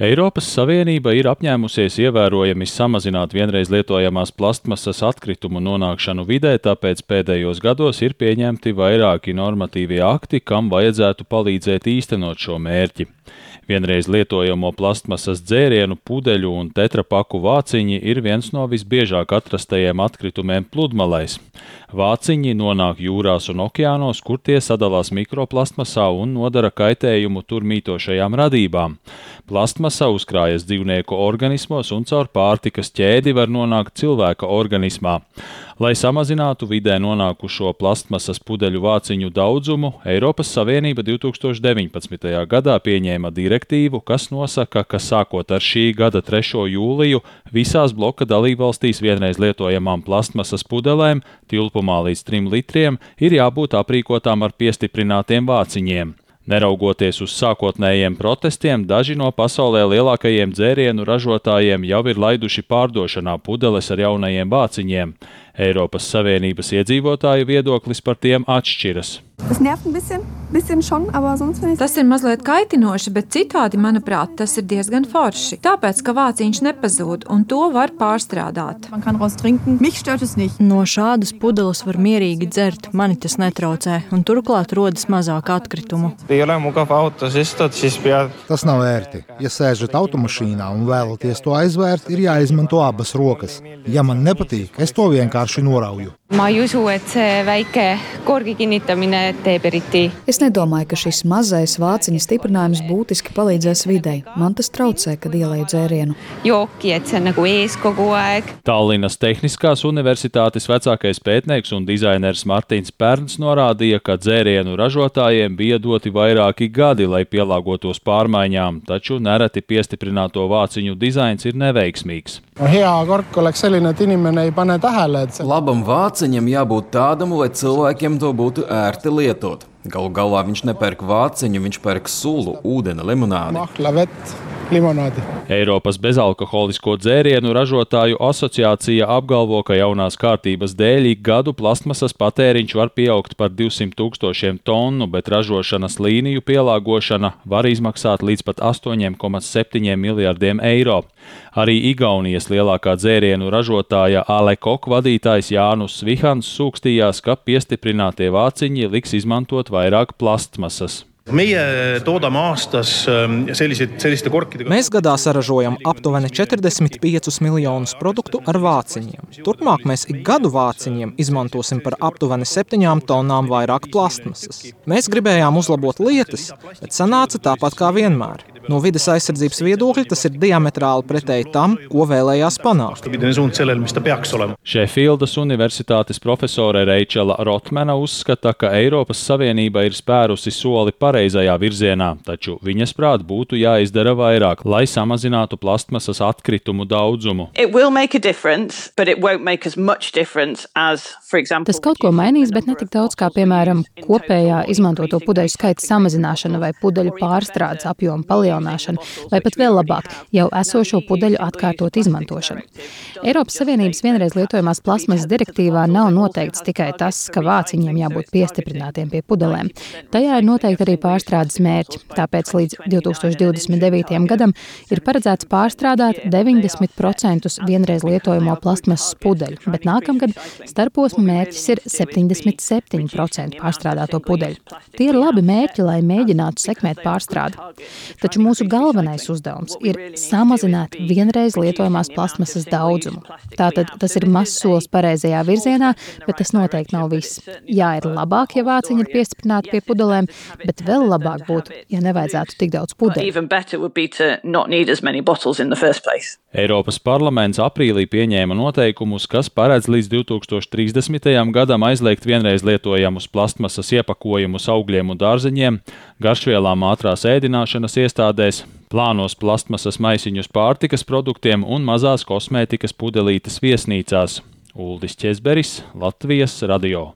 Eiropas Savienība ir apņēmusies ievērojami samazināt vienreiz lietojamās plastmasas atkritumu nonākšanu vidē, tāpēc pēdējos gados ir pieņemti vairāki normatīvie akti, kam vajadzētu palīdzēt īstenot šo mērķi. Vienreiz lietojamo plastmasas dzērienu, pudeļu un tetrapaku vāciņi ir viens no visbiežāk atrastajiem atkritumiem pludmalēs. Vāciņi nonāk jūrās un okeānos, kur tie sadalās mikroplastmasā un nodara kaitējumu tur mītošajām radībām. Plastmasa uzkrājas dzīvnieku organismos un caur pārtikas ķēdi var nonākt cilvēka organismā. Lai samazinātu vidē nonākušo plastmasas pudeļu vāciņu daudzumu, Eiropas Savienība 2019. gadā pieņēma direktīvu, kas nosaka, ka sākot ar šī gada 3. jūliju visās bloka dalībvalstīs vienreiz lietojamām plastmasas pudelēm, tilpumā līdz 3 litriem, ir jābūt aprīkotām ar piestiprinātiem vāciņiem. Neraugoties uz sākotnējiem protestiem, daži no pasaulē lielākajiem dzērienu ražotājiem jau ir laiduši pārdošanā pudeles ar jaunajiem vāciņiem. Eiropas Savienības iedzīvotāju viedoklis par tiem atšķiras. Tas ir mazliet kaitinoši, bet citādi, manuprāt, tas ir diezgan forši. Tāpēc, ka vāciņš nepazūd un to var pārstrādāt. No šādas pudeles var mierīgi dzert, mani tas netraucē, un turklāt rodas mazāk atkritumu. Tas nav ērti. Ja sēžat automašīnā un vēlaties to aizvērt, ir jāizmanto abas rokas. Ja man nepatīk, es to vienkārši norauju. Es nedomāju, ka šis mazais vāciņa stiprinājums būtiski palīdzēs videi. Man tas traucē, kad ielēju dzērienu. Tallinas Tehniskās universitātes vecākais pētnieks un dizainers Martins Pērns norādīja, ka dzērienu ražotājiem bija doti vairāki gadi, lai pielāgotos pārmaiņām, taču nereti piestiprināto vāciņu dizains ir neveiksmīgs. Labam vāciņam jābūt tādam, lai cilvēkiem to būtu ērti lietot. Galu galā viņš nepērk vāciņu, viņš pērk sulu, ūdeni, limonādi. Eiropas bezalkoholisko dzērienu ražotāju asociācija apgalvo, ka jaunās kārtības dēļ ik gadu plastmasas patēriņš var pieaugt par 200,000 tonu, bet ražošanas līniju pielāgošana var izmaksāt līdz pat 8,7 miljardiem eiro. Arī Igaunijas lielākā dzērienu ražotāja Alekok vadītājs Jānus Svihans sūkstījās, ka piestiprinātie vāciņi liks izmantot vairāk plastmasas. Mēs gadā saražojam aptuveni 45 miljonus produktu ar vāciņiem. Turpmāk mēs ik gadu vāciņiem izmantosim par aptuveni 7 tonnām vairāk plastmasas. Mēs gribējām uzlabot lietas, bet sanāca tāpat kā vienmēr. No vides aizsardzības viedokļa tas ir diametrāli pretēji tam, ko vēlējās panākt. Šefīldas universitātes profesore Reičela Rotmana uzskata, ka Eiropas Savienība ir spērusi soli pareizajā virzienā, taču viņas prāt būtu jāizdara vairāk, lai samazinātu plastmasas atkritumu daudzumu. Tas kaut ko mainīs, bet ne tik daudz kā, piemēram, kopējā izmantoto pudeļu skaita samazināšana vai pudeļu pārstrādes apjoma palielināšana, vai pat vēl labāk jau esošo pudeļu atkārtot izmantošanu. Eiropas Savienības vienreiz lietojamās plastmasas direktīvā nav noteikts tikai tas, ka vāciņiem jābūt piestiprinātiem pie pudelēm. Tajā ir noteikti arī pārstrādes mērķi, tāpēc līdz 2029. gadam ir paredzēts pārstrādāt 90% vienreiz lietojamo plastmasas pudeļu, bet nākamgad starposma mērķis ir 77% pārstrādāto pudeļu. Tie ir labi mērķi, lai mēģinātu sekmēt pārstrādi. Taču mūsu galvenais uzdevums ir samazināt vienreiz lietojamās plastmasas daudzumu. Tātad tas ir mazs solis pareizajā virzienā, bet tas noteikti nav viss. Jā, ir labāk, ja vāciņi ir piestiprināti pie pudelēm, bet vēl labāk būtu, ja nevajadzētu tik daudz pudeļu. Eiropas parlaments aprīlī pieņēma noteikumus, kas paredz līdz 2030. gadam aizliegt vienreiz lietojamus plastmasas iepakojumus augļiem un dārzeņiem, garšvielām ātrās ēdināšanas iestādēs, plānos plastmasas maisiņus pārtikas produktiem un mazās kosmētikas pudelītes viesnīcās. Uldis Ķezberis, Latvijas radio.